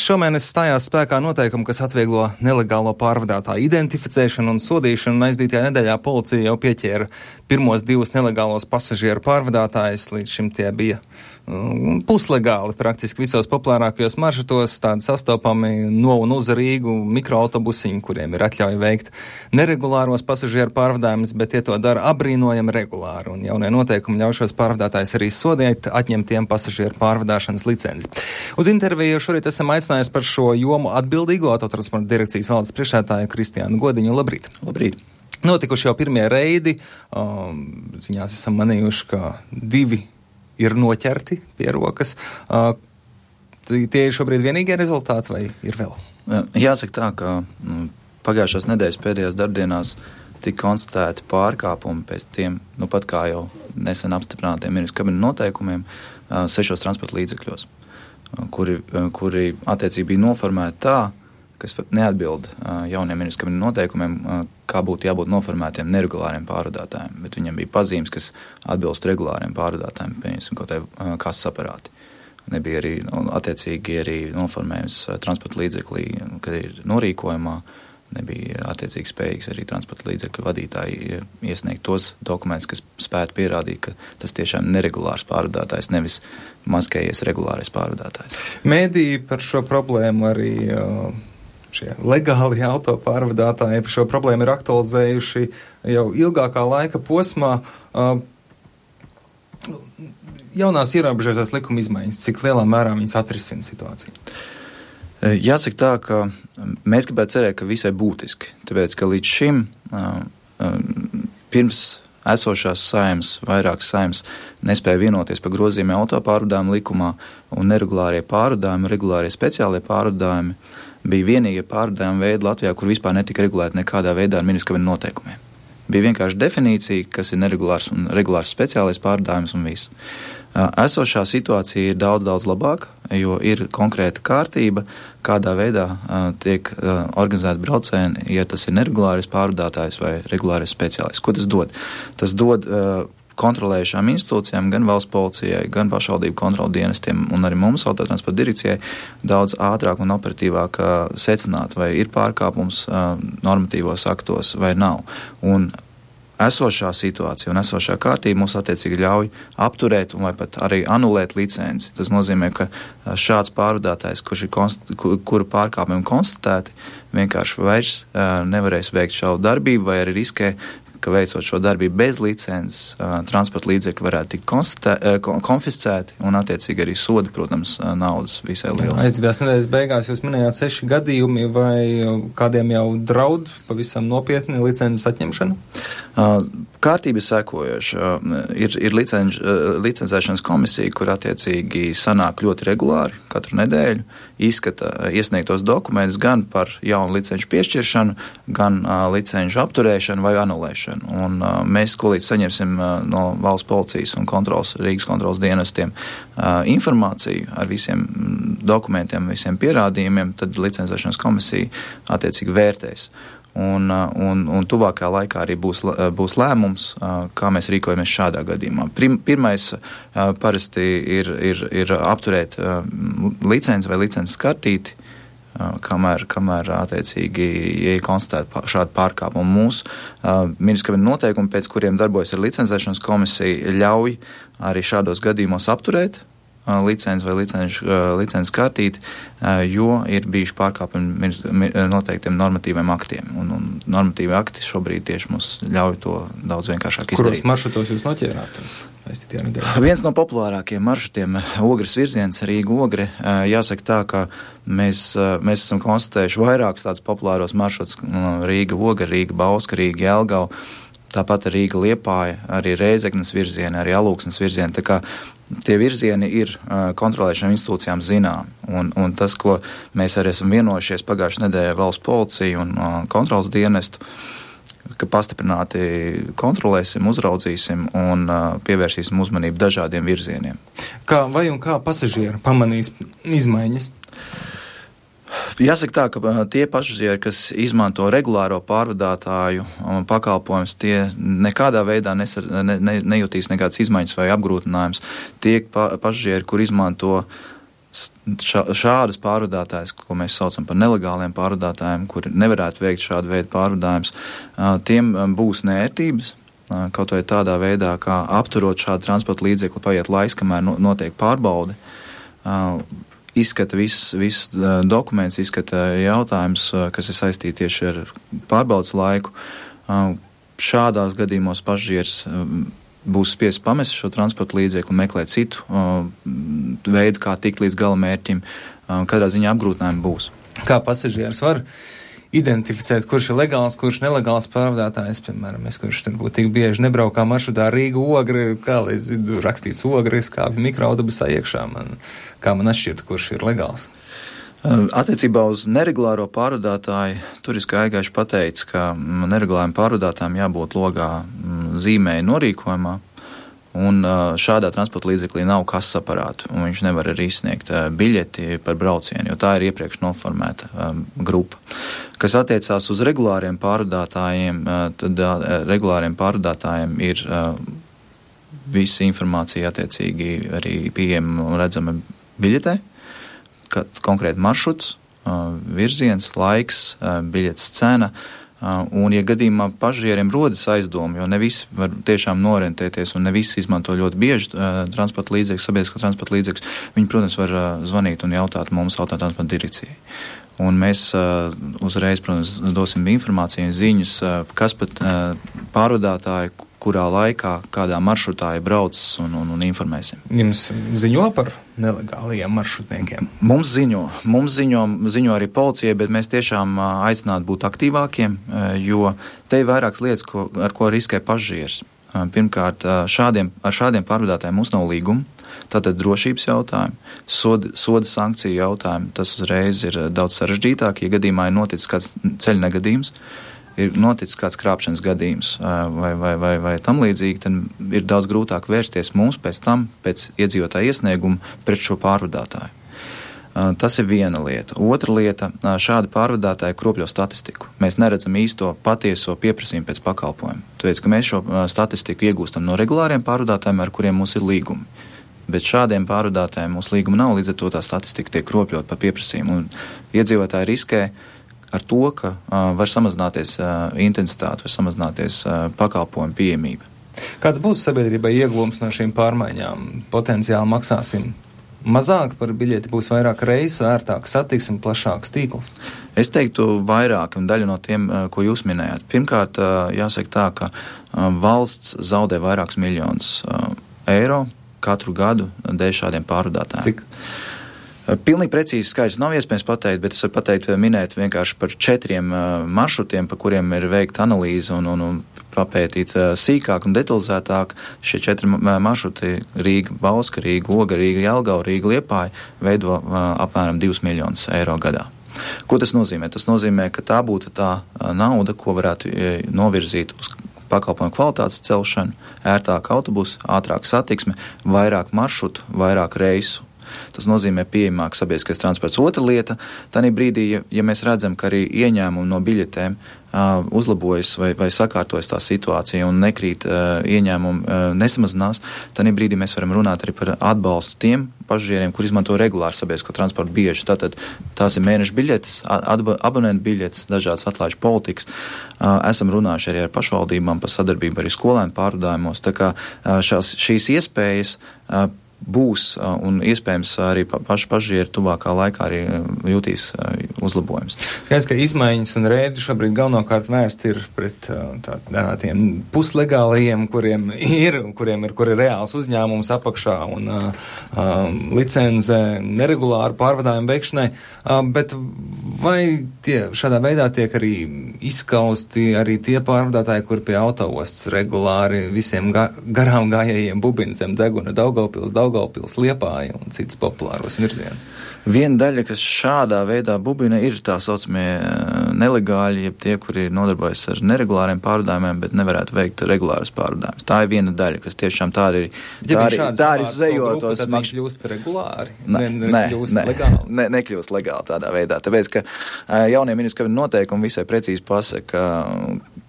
Šomēnes stājās spēkā noteikumi, kas atvieglo nelegālo pārvadātāju identificēšanu un sodīšanu, un aizdītajā nedēļā policija jau pieķēra pirmos 2 nelegālos pasažieru pārvadātājus. Līdz šim tie bija puslegāli praktiski visos populārākajos maršrutos, tādi sastopami no un uz Rīgu mikroautobusiņi, kuriem ir atļauja veikt neregulāros pasažieru pārvadājumus, bet tie to dara abrīnojami regulāri, un jaunie noteikumi ļauj šos pārvadātājus arī sodīt, atņemt tiem pasažieru pārvadāšanas licenci. Uz interviju šorīt esam aicinājuši par šo jomu atbildīgo Autotransporta direkcijas valdes priekšsēdētāju Kristiānu Godiņu. Labrīt! Labrīt! Notikuši jau pirmie reidi, ziņās esam manījuši, ka 2 ir noķerti pie rokas. Tie ir šobrīd vienīgie rezultāti vai ir vēl? Jāsaka tā, ka pagājušās nedēļas pēdējās darbdienās tika konstatēti pārkāpumi pēc tiem, pat kā jau nesen apstiprinātiem ministru kabineta noteikumiem 6 transporta līdzekļos, kuri attiecīgi bija noformēti tā, kas neatbild jauniem ministru kabineta noteikumiem, kā būtu jābūt noformētiem neregulāriem pārvadātājiem, bet viņam bija pazīmes, kas atbilst regulāriem pārvadātājiem, pieņemsim kaut kādā kases aparāti. Nebija arī attiecīgi arī noformējums transporta līdzeklī, kad ir norīkojumā, nebija attiecīgi spējīgs arī transporta līdzekļu vadītāji iesniegt tos dokumentus, kas spētu pierādīt, ka tas tiešām neregulārs pārvadātājs, nevis maskējies regulārais pārvadātājs. Mēdī par šo problēmu arī šie legāli autopārvadātāji šo problēmu ir aktualizējuši jau ilgākā laika posmā. Jaunās ierobežotās likuma izmaiņas, cik lielā mērā viņas atrisina situāciju? Jāsaka tā, ka mēs gribētu cerēt, ka visai būtiski, tāpēc, ka līdz šim pirms esošās saimnes, vairākas saimnes nespēja vienoties par grozījumiem autopārvadājumu likumā, un neregulārie pārvadājumi, regulārie speciālie pārvadājumi bija vienīgie pārvadājumi veidi Latvijā, kur vispār netika regulēti nekādā veidā ar ministru kabineta noteikumiem. Bija vienkārši definīcija, kas ir neregulārs un regulārs speciālais pārvadājums un viss. Esošā situācija ir daudz labāka, jo ir konkrēta kārtība, kādā veidā tiek organizēta braucieni, ja tas ir neregulārais pārvadātājs vai regulārais speciālists. Ko tas dod? Tas dod kontrolējušām institūcijām, gan valsts policijai, gan pašvaldību kontrolu dienestiem un arī mums, Autotransporta direkcijai, daudz ātrāk un operatīvāk secināt, vai ir pārkāpums normatīvos aktos vai nav. Un esošā situācija un esošā kārtība mums attiecīgi ļauj apturēt vai pat arī anulēt licenci. Tas nozīmē, ka šāds pārvadātājs, kura pārkāpumi konstatēti, vienkārši vairs nevarēs veikt šādu darbību vai arī riskē, ka veicot šo darbību bez licences, transporta līdzekļi varētu tikt konfiscēti un attiecīgi arī sodi, protams, naudas visai liels. Aizdītās nedēļas beigās jūs minējāt 6 gadījumi, vai kādiem jau draud pavisam nopietni licences atņemšana? Kārtība ir sekojoša. Ir licencēšanas komisija, kur attiecīgi sanāk ļoti regulāri katru nedēļu, izskata iesniegtos dokumentus gan par jaunu licenču piešķiršanu, gan licenču apturēšanu vai anulēšanu. Un mēs, ko līdz saņemsim no valsts policijas un Rīgas kontrolas dienestiem informāciju ar visiem dokumentiem, visiem pierādījumiem, tad licencēšanas komisija attiecīgi vērtēs. Un tuvākajā laikā arī būs lēmums, kā mēs rīkojamies šādā gadījumā. Pirmais parasti ir apturēt licenci vai licences kartīti, kamēr attiecīgi, ja ir konstatēta šāda pārkāpuma. Mūsu ministru kabineta noteikumi, pēc kuriem darbojas ar licencēšanas komisiju, ļauj arī šādos gadījumos apturēt licenci vai licences kartīti, jo ir bijuši pārkāpumi noteiktiem normatīviem aktiem. Un normatīvi akti šobrīd tieši mums ļauj to daudz vienkāršāk izdarīt. Kuros maršrutos jūs noķērāt? Viens no populārākajiem maršrutiem Ogres virziens, Rīga-Ogre. Jāsaka tā, ka mēs esam konstatējuši vairākus tādus populāros maršrutus Rīga-Ogre, Rīga-Bauska, Rīga-Jelgava, tāpat Rīga-Liepāja, arī Rēzeknes virzieni, arī Alūksnes virzieni. Tā kā tie virzieni ir kontrolēšanām institūcijām zinām. Un tas, ko mēs arī esam vienojušies pagājušajā nedēļā valsts policiju un kontrolas dienestu, ka pastiprināti kontrolēsim, uzraudzīsim un pievērsīsim uzmanību dažādiem virzieniem. Kā pasažieri pamanīs izmaiņas? Jāsaka tā, ka tie pasažieri, kas izmanto regulāro pārvadātāju pakalpojumus, tie nekādā veidā nejutīs nekādas izmaiņas vai apgrūtinājums. Tie pasažieri, kur izmanto šādus pārvadātājus, ko mēs saucam par nelegāliem pārvadātājiem, kuri nevarētu veikt šādu veidu pārvadājumus, tiem būs nērtības, kaut vai tādā veidā, kā apturot šādu transporta līdzekli, paiet laiks, kamēr notiek pārbaude, izskata viss dokuments, izskata jautājums, kas ir saistīti tieši ar pārbaudas laiku. Šādās gadījumos pasažieris būs spiests pamest šo transporta līdzekli, meklēt citu veidu, kā tikt līdz gala mērķim. Katrā ziņā apgrūtinājumi būs. Kā pasažieris var identificēt, kurš ir legāls, kurš nelegāls pārvadātājs, piemēram, kurš tur būtu tik bieži nebraukā maršrutā Rīga-Ogri, kā lai zinu, rakstīts Ogri, skāpju mikroautobusā iekšā, kā man atšķirt, kurš ir legāls? Attiecībā uz neregulāro pārvadātāju, tur ir skaidri pateicis, ka neregulāriem pārvadātājiem jābūt logā zīmēja norīkojumā, un šādā transporta līdzeklī nav kases aparātu, un viņš nevar arī izsniegt biļeti par braucienu, jo tā ir iepriekš noformēta grupa. Kas attiecās uz regulāriem pārvadātājiem, tad regulāriem pārvadātājiem ir visa informācija attiecīgi arī pieejama un redzama biļetē, konkrēti maršruts, virziens, laiks, biļetes cena, un, ja gadījumā pasažieriem rodas aizdomi, jo ne visi var tiešām norentēties un ne visi izmanto ļoti bieži transporta līdzekļus, sabiedrisko transporta līdzekļus, viņi, protams, var zvanīt un jautāt mums autotransporta direkcijai. Un mēs uzreiz, protams, dosim informāciju un ziņas, kas pat pārvadātāji, kurā laikā, kādā maršrutā ir braucis un informēsim. Jums ziņo par nelegālajiem maršrutniekiem? Mums ziņo arī policijai, bet mēs tiešām aicinātu būt aktīvākiem, jo te ir vairākas lietas, ar ko riskē pasažieris. Pirmkārt, ar šādiem pārvadātājiem mums nav līguma, tātad drošības jautājumi, soda sankciju jautājumi, tas uzreiz ir daudz sarežģītāk, ja gadījumā ir noticis kāds ceļa negadījums, ir noticis kāds krāpšanas gadījums vai tam līdzīgi, tad ir daudz grūtāk vērsties mums pēc tam, pēc iedzīvotāja iesnieguma pret šo pārvadātāju. Tas ir viena lieta. Otra lieta, šādi pārvadātāji kropļo statistiku. Mēs neredzam īsto patieso pieprasījumu pēc pakalpojumu. Tāpēc, ka mēs šo statistiku iegūstam no regulāriem pārvadātājiem, ar kuriem mums ir līgumi. Bet šādiem pārvadātājiem mūsu līguma nav, līdz ar to tā statistika tiek kropļot par pieprasījumu. Un iedzīvotāji riskē ar to, ka var samazināties intensitāte, var samazināties pakalpojumu pieejamība. Kāds būs sabiedrībai ieguvums no šīm pārmaiņām? Potenciāli maksāsim mazāk par biļeti, būs vairāk reisu, ērtāk satiksme, plašāks tīkls? Es teiktu vairāk, un daļa no tiem, ko jūs minējāt. Pirmkārt, jāsaka tā, ka valsts zaudē vairākus miljonus eiro katru gadu dēļ šādiem pārvadātājiem. Cik? Pilnīgi precīzi skaidrs nav iespējams pateikt, bet es varu minēt vienkārši par 4 maršrutiem, pa kuriem ir veikta analīze un papētīt sīkāk un detalizētāk. Šie 4 maršruti Rīga, Bauska, Rīga, Oga, Rīga, Jelgava, Rīga, Liepāja veido apmēram 2 miljonus eiro gadā. Ko tas nozīmē? Tas nozīmē, ka tā būtu tā nauda, ko varētu novirzīt uz pakalpojumu kvalitātes celšanu, ērtāk autobusu, ātrāk satiksme, vairāk maršrutu, vairāk reisu. Tas nozīmē pieejamāk sabiedriskais transports. Otra lieta, tādā brīdī, ja mēs redzam, ka arī ieņēmumi no biļetēm uzlabojas vai sakārtojas tā situācija un nekrīt ieņēmumi nesamazinās, tādā brīdī mēs varam runāt arī par atbalstu tiem pasažieriem, kur izmanto regulāru sabiedrisko transportu bieži. Tātad tās ir mēneša biļetes, abonentu biļetes, dažādas atlaižu politikas. Esam runājuši arī ar pašvaldībām par sadarbību arī skolēnu pārvadājumos. Tā kā šīs iespējas būs un iespējams arī paši pasažieri tuvākā laikā arī jutīs uzlabojums. Skaidrs, ka izmaiņas un rēdi šobrīd galvenokārt vērst ir pret tiem puslegālajiem, kuriem ir reāls uzņēmums apakšā un licence neregulāru pārvadājumu veikšanai, bet vai šādā veidā tiek arī izskausti arī tie pārvadātāji, kur pie autoostas regulāri visiem garām gājējiem bubina zem deguna Daugavpils, Liepāja un citas populāros virzienus? Viena daļa, kas šādā veidā bubina, ir tā saucamie nelegāļi, jeb tie, kuri nodarbojas ar neregulāriem pārvadājumiem, bet nevarētu veikt regulārus pārvadājumus. Tā ir viena daļa, kas tiešām tā ir zvejotos. Tad viņš kļūst regulāri? Nekļūst legāli tādā veidā. Tāpēc, ka jaunie ministra kabineta noteikumi visai precīzi pasaka,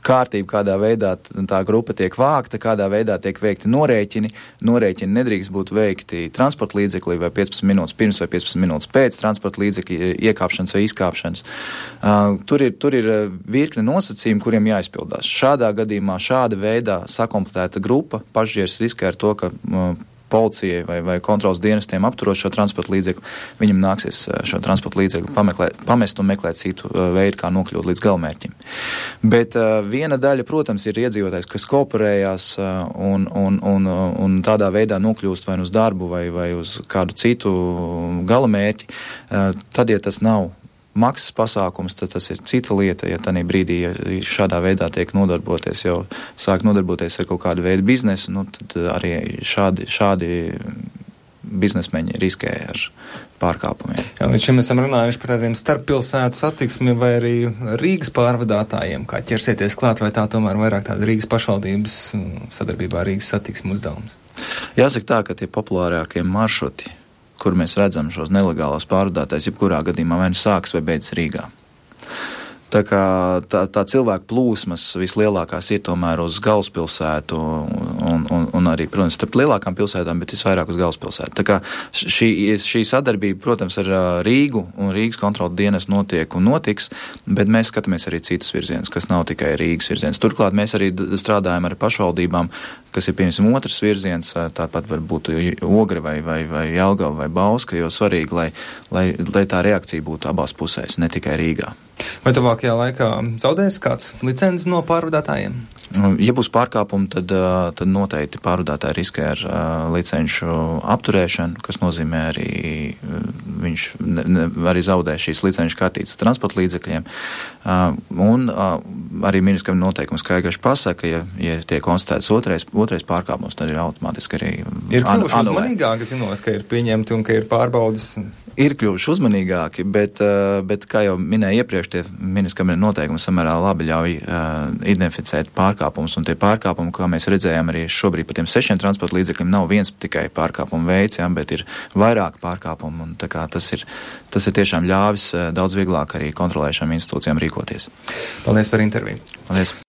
kārtību, kādā veidā tā grupa tiek vākta, kādā veidā tiek veikti norēķini. Norēķini nedrīkst būt veikti transporta līdzeklī vai 15 minūtes pirms vai 15 minūtes pēc transporta līdzekļa iekāpšanas vai izkāpšanas. Tur ir virkne nosacījumi, kuriem jāizpildās. Šādā gadījumā, šāda veidā sakompletēta grupa pasažieris riskē ar to, ka policijai vai kontrolas dienestiem apturot šo transporta līdzekli, viņam nāksies šo transporta līdzekli pamest un meklēt citu veidu, kā nokļūt līdz galamērķim. Bet viena daļa, protams, ir iedzīvotājs, kas kooperējās un tādā veidā nokļūst vai uz darbu vai uz kādu citu galamērķi, tad, ja tas nav maksas pasākums, tad tas ir cita lieta, ja tādā brīdī, ja šādā veidā tiek sāk nodarboties ar kaut kādu veidu biznesu, tad arī šādi biznesmeņi riskē ar pārkāpumiem. Jā, līdz šim esam runājuši par tādiem starppilsētu satiksmi vai arī Rīgas pārvadātājiem, kā ķersieties klāt, vai tā tomēr vairāk tāda Rīgas pašvaldības sadarbībā ar Rīgas satiksmu uzdevums? Jāsaka tā, ka tie populārākie maršruti, kur mēs redzam šos nelegālos pārvadātājus, jebkurā gadījumā vai nu sākas vai beidzas Rīgā. Tā kā tā cilvēku plūsmas vislielākās ir tomēr uz galvaspilsētu un arī, protams, starp lielākām pilsētām, bet visvairāk uz galvaspilsētu. Tā kā šī sadarbība, protams, ar Rīgu un Rīgas kontrolu dienas notiek un notiks, bet mēs skatāmies arī citus virzienus, kas nav tikai Rīgas virziens. Turklāt mēs arī strādājam ar pašvaldībām, kas ir, piemēram, otrs virziens, tāpat varbūt Ogre vai Jelgava vai Bauska, jo svarīgi, lai tā reakcija būtu abās pusēs, ne tikai Rīgā. Vai tuvākajā laikā zaudēs kāds licences no pārvadātājiem? Ja būs pārkāpumi, tad noteikti pārvadātāji riskē ar licenšu apturēšanu, kas nozīmē arī viņš arī zaudē šīs licenšu kartītes transporta līdzekļiem. Un arī ministra noteikums skaidrs pasaka, ja tiek konstatēts otrais pārkāpums, tad ir automātiski arī ir kļuvuši uzmanīgāki, zinot, ka ir pieņemti un ka ir pārbaudas. Ir kļuvuši uzmanīgāki, bet kā jau minēju iepriekš, tie ministra noteikumi samērā labi ļauj identificēt pārkāpumus, un tie pārkāpumi, kā mēs redzējām arī šobrīd par tiem 6 transporta līdzekļiem, nav viens tikai pārkāpumu veids, bet ir vairāk pārkāpumu, un tā kā tas ir tiešām ļāvis daudz vieglāk arī kontrolējušām institūcijām rīkoties. Paldies par interviju. Paldies.